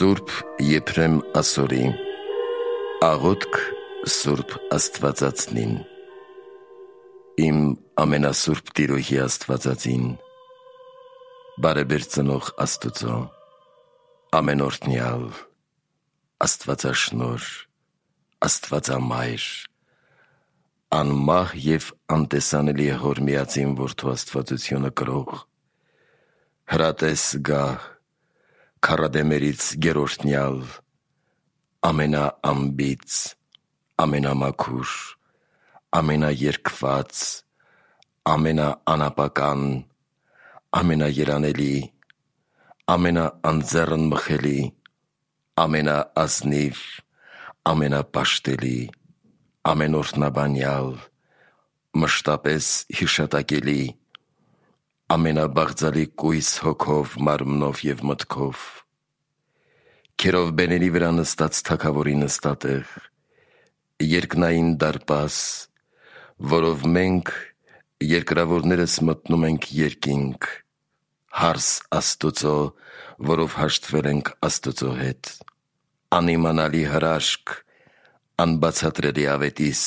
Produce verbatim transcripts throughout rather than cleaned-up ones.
Սուրբ Եփրեմ ասորի աղոթք Սուրբ Աստվածածնին։ Իմ ամենասուրբ Տիրոհի Աստվածածին, բարեբեր ծնող Աստուծո, ամենօրհնյալ, Աստվածաշնորհ, Աստվածամայր, անմահ և անտեսանելի Հոր միածին Որդու աստվածությունը կրող, հրատես գահ, քառադեմերից գերօրհնյալ, ամենաանբիծ, ամենամաքուր, ամենաերկված, ամենաանապական, ամենաերանելի, ամենաանձեռն մխելի, ամենաազնիվ, ամենապաշտելի, ամենօրհնաբանյալ, մշտապես հիշատակելի, ամենաբաղձալի կույս հոգով, մարմնով և մտքով, քերովբեների վրա նստած Թագավորի նստատեղ, երկնային դարպաս, որով մենք երկրավորներս մտնում ենք երկինք, հարս Աստուծո, որով հաշտվել ենք Աստուծո հետ, անիմանալի հրաշք, անբացատրելի ավետիս,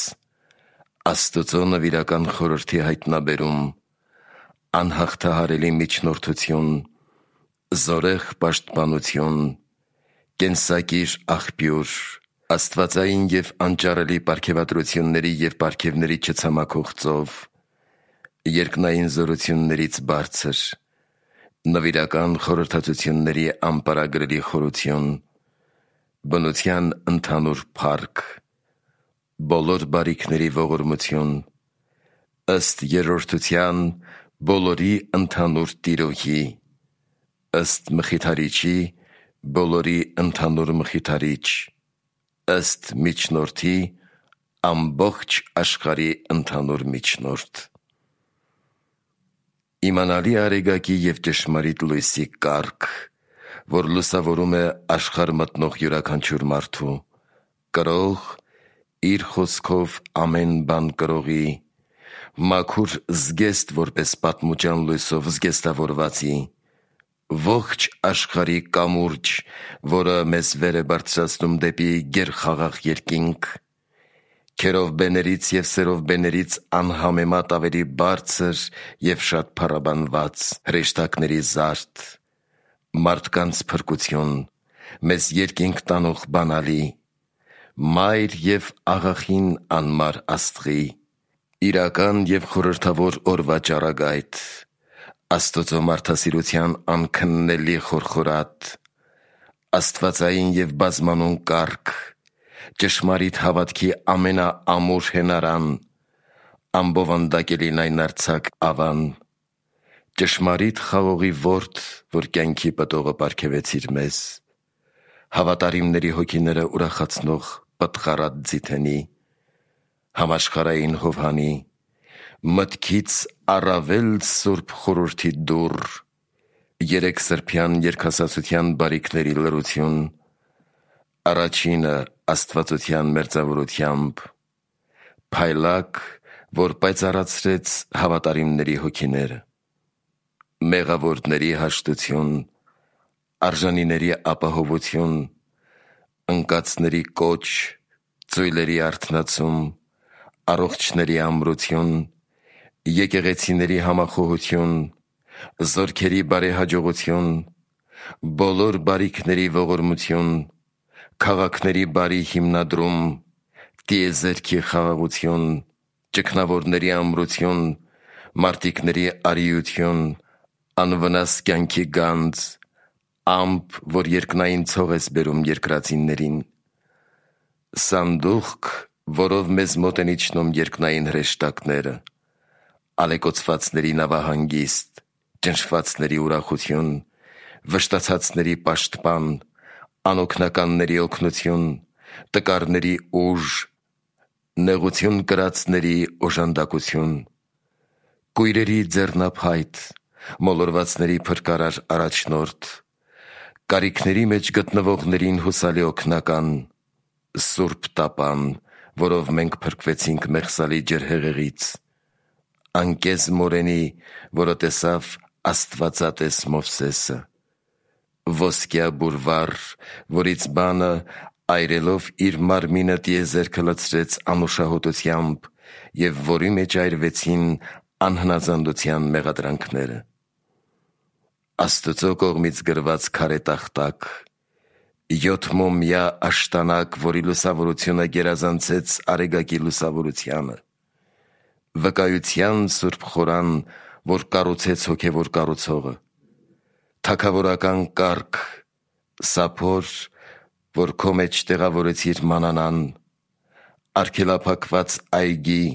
Աստուծո նվիրական խորհրդի հայտնաբերում, անհաղթահարելի միջնորդություն, զորեղ պաշտպանություն, կենսակիր աղբյուր, աստվածային և անճարելի պարգևատրությունների և պարգևների չցամաքող ծով, երկնային զորություններից բարձր, նվիրական խորհրդածությունների անպարագրելի խորություն, բնության ընդհանուր փառք, բոլոր բարիքների ողորմություն, ըստ երրորդության բոլորի ընդհանուր Տիրոհի, ըստ Մխիթարիչի բոլորի ընդհանուր Մխիթարիչ, ըստ Միջնորդի ամբողջ աշխարհի ընդհանուր Միջնորդ, իմանալի Արեգակի և ճշմարիտ լույսի կարգ, որ լուսավորում է աշխարհ մտնող յուրաքանչյուր մարդու, կրող, իր խոսքով ամեն բան կրողի, մաքուր զգեստ որպես պատմության լույսով զգեստավորվածի, ողջ աշխարհի կամուրջ, որը մեզ վեր է բարձրացնում դեպի գերխաղաղ երկինք, քերովբեներից և սերովբեներից անհամեմատ ավելի բարձր և շատ փառաբանված, հրեշտակների զարդ, մարդկանց փրկություն, մեզ երկինք տանող բանալի, մայր և աղախին անմար Աստղի, իրական և խորհրդավոր օրվա ճառագայթ, Աստուծո մարդասիրության անքննելի խորխորատ, աստվածային և բազմանուն կարգ, ճշմարիտ հավատքի ամենաամուր հենարան, անբովանդակելի լայնարձակ ավան, ճշմարիտ խաղողի ворդ, որ կյանքի պտողը պարգևեցիր մեզ, հավատարիմների հոգիները ուրախացնող պտղառատ ձիթենի, համաշխարհային Հովհանի, մտքից առավել սուրբ խորհրդի դուռ, երեքսրբյան երկհասացության բարիքների լրություն, առաջինը աստվածության մերձավորությամբ, փայլակ, որ պայծառացրեց հավատարիմների հոգիները, մեղավորների հաշտություն, արժանիների ապահովություն, ընկածների կոչ, ծույլերի արթնացում, առողջների ամրություն, եկեղեցիների համախոհություն, զորքերի բարեհաջողություն, բոլոր բարիքների ողորմություն, քաղաքների բարի հիմնադրում, տիեզերքի խաղաղություն, ճգնավորների ամրություն, մարտիկների արիություն, անվնաս կյանքի գանձ, ամպ, որ երկնային ցող ես բերում երկրածիններին, սանդուղք, որով մեզ մոտ են իջնում երկնային հրեշտակները, ալեկոծվածների նավահանգիստ, ճնշվածների ուրախություն, վշտացածների պաշտպան, անօգնականների օգնություն, տկարների ուժ, նեղություն կրածների օժանդակություն, կույրերի ձեռնափայտ, մոլորվածների փրկարար առաջնորդ, կարիքների մեջ գտնվողներին հուսալի օգնական, սուրբ տապան, որով մենք փրկվեցինք մեղսալի ջրհեղեղից, անկեզ մորենի, որը տեսավ Աստվածատես Մովսեսը, ոսկյա բուրվար, որից բանը այրելով իր մարմինը տիեզերքը լցրեց անուշահոտությամբ և որի մեջ այրվեցին անհնազանդության մեղադրանքները։ Աստծո կողմից գրված քարե տախտակ, յոթմոմյա աշտանակ, որի լուսավորությունը գերազանցեց արեգակի լուսավորությանը, վկայության սուրբ խորան, որ կառուցեց հոգևոր կառուցողը, թագավորական կարգ, սափոր, որ քո մեջ տեղավորեցիր մանանան, արգելափակված այգի,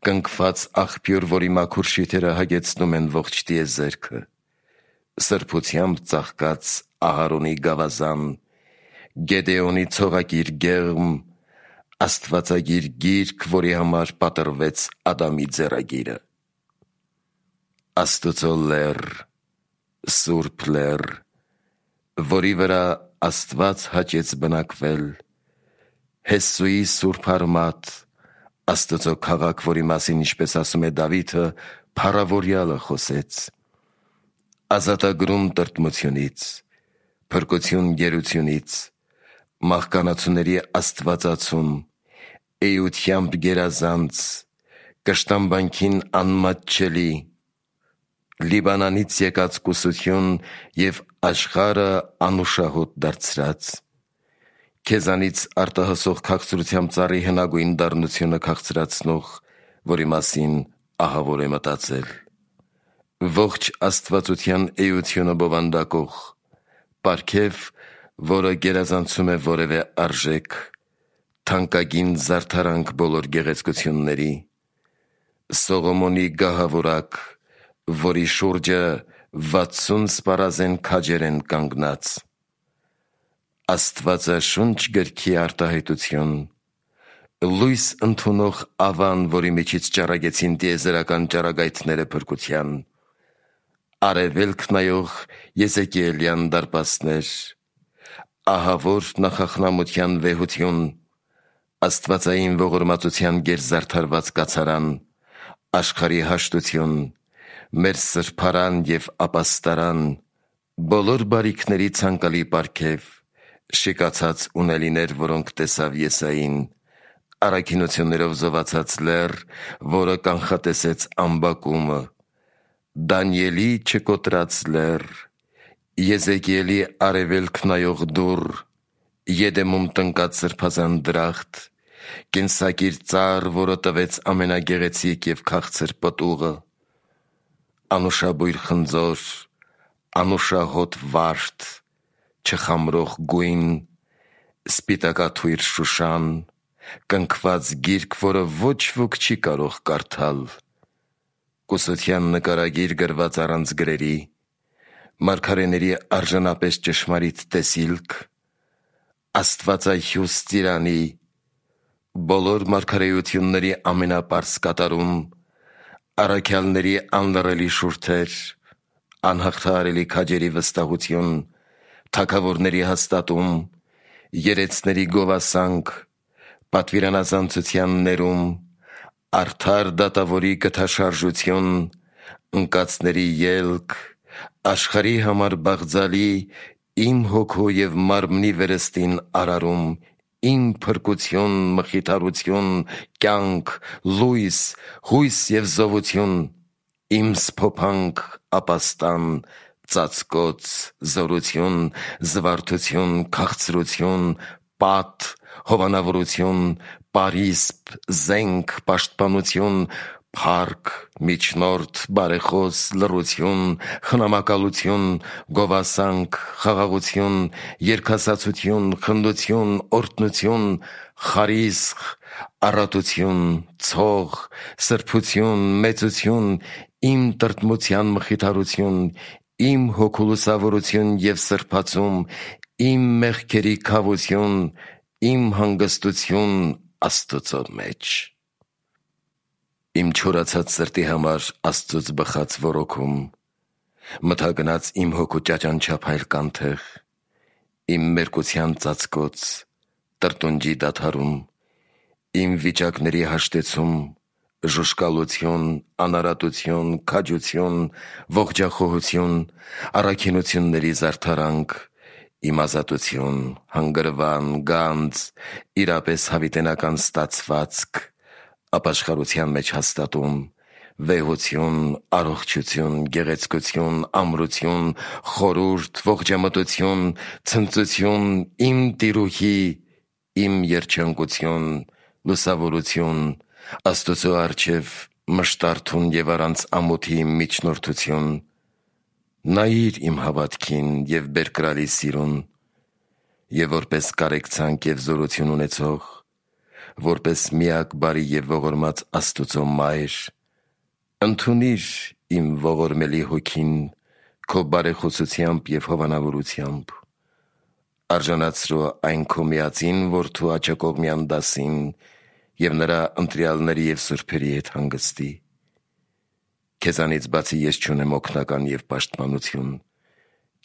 կնքված աղբյուր, որի մաքուր շիթերը հագեցնում են ողջ տիեզերքը, սրբությամբ ծաղկած Ահարոնի գավազան, Գեդեոնի ցողակիր գեղմ, աստվածագիր գիրք, որի համար պատրվեց Ադամի ձեռագիրը։ Աստծո լեռ, սուրբ լեռ, որի վրա Աստված հաճեց բնակվել, Հեսուի սուրբ արմատ, Աստծո քաղաք, որի մասին, ինչպես ասում է Դավիթը, փառավորյալը խոսեց, ազատագրում տրտմությունից, փրկություն գերությունից, մահկանացուների աստվածացում, էությամբ գերազանց, կշտամբանքին անմատչելի, Լիբանանից եկած կուսություն և աշխարհը անուշահոտ դարձրած, քեզանից արտահասող քաղցրությամբ ծառի հնագույն դառնությունը քաղցրացնող, որի մասին ահավոր է մտածել, ողջ աստվածության էությունը բովանդակող, պարգև, որը գերազանցում է որևէ արժեք, թանկագին զարդարանք բոլոր գեղեցկությունների, Սողոմոնի գահավորակ, որի շուրջը վաթսուն սպառազեն քաջեր են կանգնած, Աստվածաշունչ գրքի արտահայտություն, լույս ընդունող ավան, որի միջից ճառագեցին տիեզերական ճառագայթները փրկության, արևելք նայող Եզեկիելյան դարպասներ, ահավոր նախախնամության վեհություն, աստվածային ողորմածության գերզարդարված կացարան, աշխարհի հաշտություն, մեր սրբարան և ապաստարան, բոլոր բարիքների ցանկալի պարգև, շիկացած ունելիներ, որոնք տեսավ Եսային, առաքինություններով զովացած լեռ, որը կանխատեսեց ամբակումը, Դանիելի չկոտրած լեռ, Եզեկիելի արևելք նայող դուռ, Եդեմում տնկած սրբազան դրախտ, կենսակիր ծառ, որը տվեց ամենագեղեցիկ և քաղցր պտուղը, անուշաբույր խնձոր, անուշահոտ վարդ, չխամրող գույն, սպիտակաթույր Շուշան, կնքված գիրք, որը ոչ ոք չի կարող կարդալ, կուսության նկարագիր գրված առանց գրերի, մարգարեների արժանապես ճշմարիտ տեսիլք, աստվածահյուս ծիրանի, բոլոր մարգարեությունների ամենապարզ կատարում, առաքյալների անլռելի շուրթեր, անհաղթահարելի քաջերի վստահություն, թագավորների հաստատում, երեցների գովասանք, պատվիրանազանցության ներում, արդար դատավորի գթաշարժություն, ընկածների ելք, աշխարհի համար բաղձալի, իմ հոգու և մարմնի վերստին արարում, իմ փրկություն, մխիթարություն, կյանք, լույս, հույս և զովություն, իմ սփոփանք, ապաստան, ծածկոց, զորություն, զվարթություն, քաղցրություն, պատ, հովանավորություն, պարիսպ, զենք, պաշտպանություն, փառք, միջնորդ, բարեխոս, լռություն, խնամակալություն, գովասանք, խաղաղություն, երգասացություն, խնդություն, օրհնություն, խարիսխ, առատություն, ցող, սրբություն, մեծություն, իմ տրտմության մխիթարություն, իմ հոգու լուսավորություն և սրբացում, իմ մեղքերի քավություն, իմ հանգստություն Աստծո մեջ։ Իմ չորացած սրտի համար Աստծուց բխած ոռոգում, մթագնաց իմ հոգու ճաճանչափայլ կանթեղ, իմ մերկության ծածկոց, տրտունջի դադարում, իմ վիճակների հաշտեցում, ժուշկալություն, անարատություն, քաջություն, ողջախոհություն, առաքինությունների զարդարանք, իմազատություն, հանգրվան, գանձ, իրապես հավիտենական ստացվածք, ապաշխարության մեջ հաստատում, վեհություն, առողջություն, գեղեցկություն, ամրություն, խորուրդ, ողջամտություն, ցնծություն, իմ տիրուհի, իմ երջանկություն, լուսավորություն, Աստծո առջև մշտարթուն և առանց ամոթի միջնորդություն, նայիր իմ հավատքին և բերկրալի սիրուն, և որպես կարեկցանք և զորություն ունեցող, որպես միակ բարի և ողորմած Աստուծո Մայր, ընդունիր իմ ողորմելի հոգին քո բարեխոսությամբ և հովանավորությամբ, արժանացրու այն քո միածին Որդու աջակողմյան դասին և նրա ընտրյալների և սուրբերի հետ հանգստի։ Քեզանից բացի ես չունեմ օգնական և պաշտպանություն,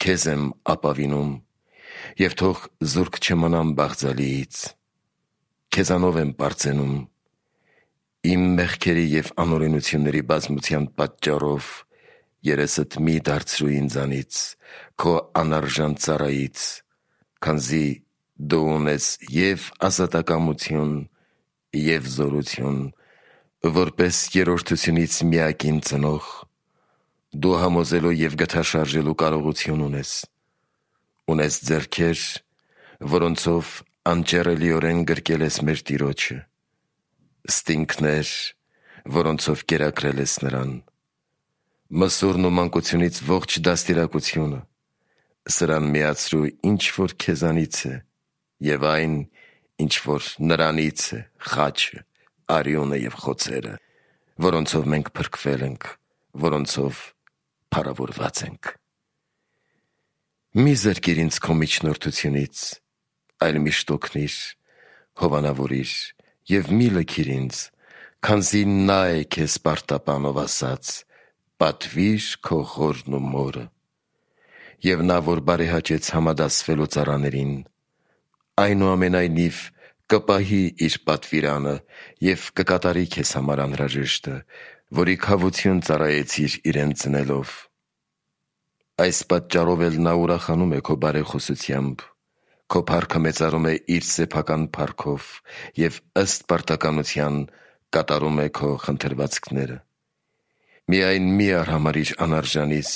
քեզ եմ ապավինում և թող զուրկ չմնամ բաղձալիից, քեզանով եմ պարծենում, իմ մեղքերի և անօրենությունների բազմության պատճառով երեսդ մի դարձրու ինձանից, քո անարժան ծառայից, քանզի դու ունես և ազատակամություն, և զորություն, որպես երրորդությունից միակին ծնող, դու համոզելու և գթաշարժելու կարողություն ունես, ունես ձեռքեր, որոնցով անճեռելիորեն գրկել ես մեր Տիրոջը, ստինգներ, որոնցով կերակրել ես նրան, մսուրն ու մանկությունից ողջ դաստիարակությունը, սրան միացրու ինչ որ քեզանից է և այն, ինչ որ նրանից է, խաչը, արյունը և խոցերը, որոնցով մենք փրկվել ենք, որոնցով փառավորված ենք։ Մի զրկիր ինձ քո միջնորդությունից, այլ միշտ օգնիր, հովանավորիր և մի լքիր ինձ, քանզի նա է քեզ պարտապանող ասաց. «Պատվիր քո հորն ու մորը», և նա, որ բարեհաճեց համադասվելու ծառաներին, այնուամենայնիվ կպահի իր պատվիրանը և կկատարի քեզ համար անհրաժեշտը, որի քավություն ծառայեցիր իրեն ծնելով։ Այս պատճառով էլ նա ուրախանում է քո բարեխոսությամբ, քո փառքը մեծարում է իր սեփական փառքով և ըստ պարտականության կատարում է քո խնդրվածքները։ Միայն մի արհամարհիր անարժանիս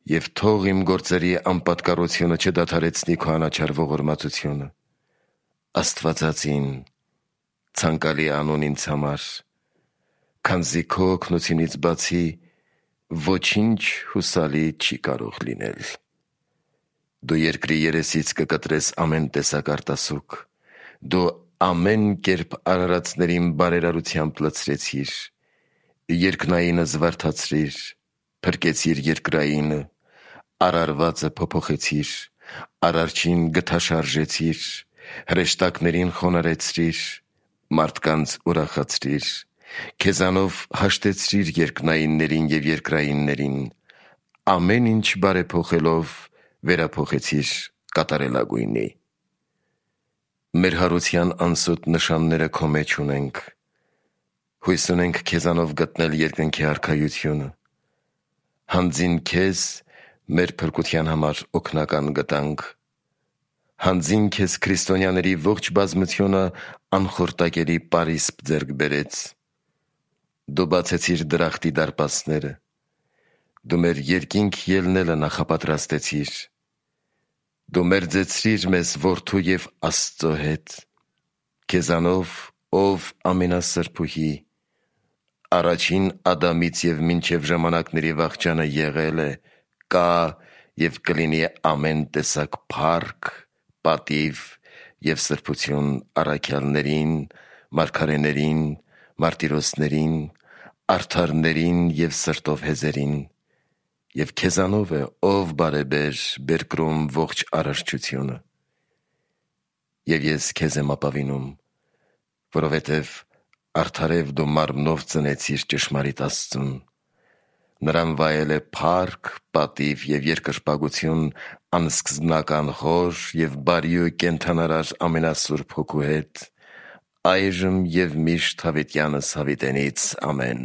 և թող իմ գործերի անպատկառությունը չդադարեցնի քո անաչառ ողորմածությունը։ Աստվածածին, ցանկալի անուն ինձ համար, քանզի քո օգնությունից բացի ոչինչ հուսալի չի կարող լինել։ Դու երկրի երեսից կկտրես ամեն տեսակ արտասուք, դու ամեն կերպ արարածներին բարերարությամբ լցրեցիր, երկնայինը զվարթացրիր, փրկեցիր երկրայինը, արարվածը փոփոխեցիր, արարչին գթաշարժեցիր, հրեշտակներին խոնարհեցրիր, մարդկանց ուրախացրիր, քեզանով հաշտեցրիր երկնայիններին և երկրայիններին, ամեն ինչ բարեփոխելով վերափոխեցիր կատարելագույնի։ Մեր հարության անսոտ նշանները քո մեջ ունենք, հույս ունենք քեզանով գտնել երկնքի արքայությունը, հանձին քեզ մեր փրկության համար օգնական գտանք, հանձին քեզ քրիստոնյաների ողջ բազմությունը անխորտակելի պարիսպ ձեռք բերեց, դու բացեցիր դրախտի դարպասները, դու մեր երկինք ելնելը նախապատրաստեցիր, դու մերձեցրիր մեզ Որդու և Աստծո հետ, քեզանով, ով ամենասրբուհի, առաջին Ադամից և մինչև ժամանակների վախճանը եղել է, կա և կլինի ամեն տեսակ փառք, պատիվ և սրբություն առաքյալներին, մարգարեներին, մարտիրոսներին, արդարներին և սրտով հեզերին, և քեզանով է, ով բարեբեր, բերկրում ողջ արարչությունը։ Եվ ես քեզ եմ ապավինում, որովհետև արդարև դու մարմնով ծնեցիր ճշմարիտ Աստծուն, նրան վայել է փառք, պատիվ և երկրպագություն անսկզբնական Հոր և բարի ու կենդանարար ամենասուրբ Հոգու հետ, այժմ և միշտ հավիտյանս հավիտենից։ Ամեն։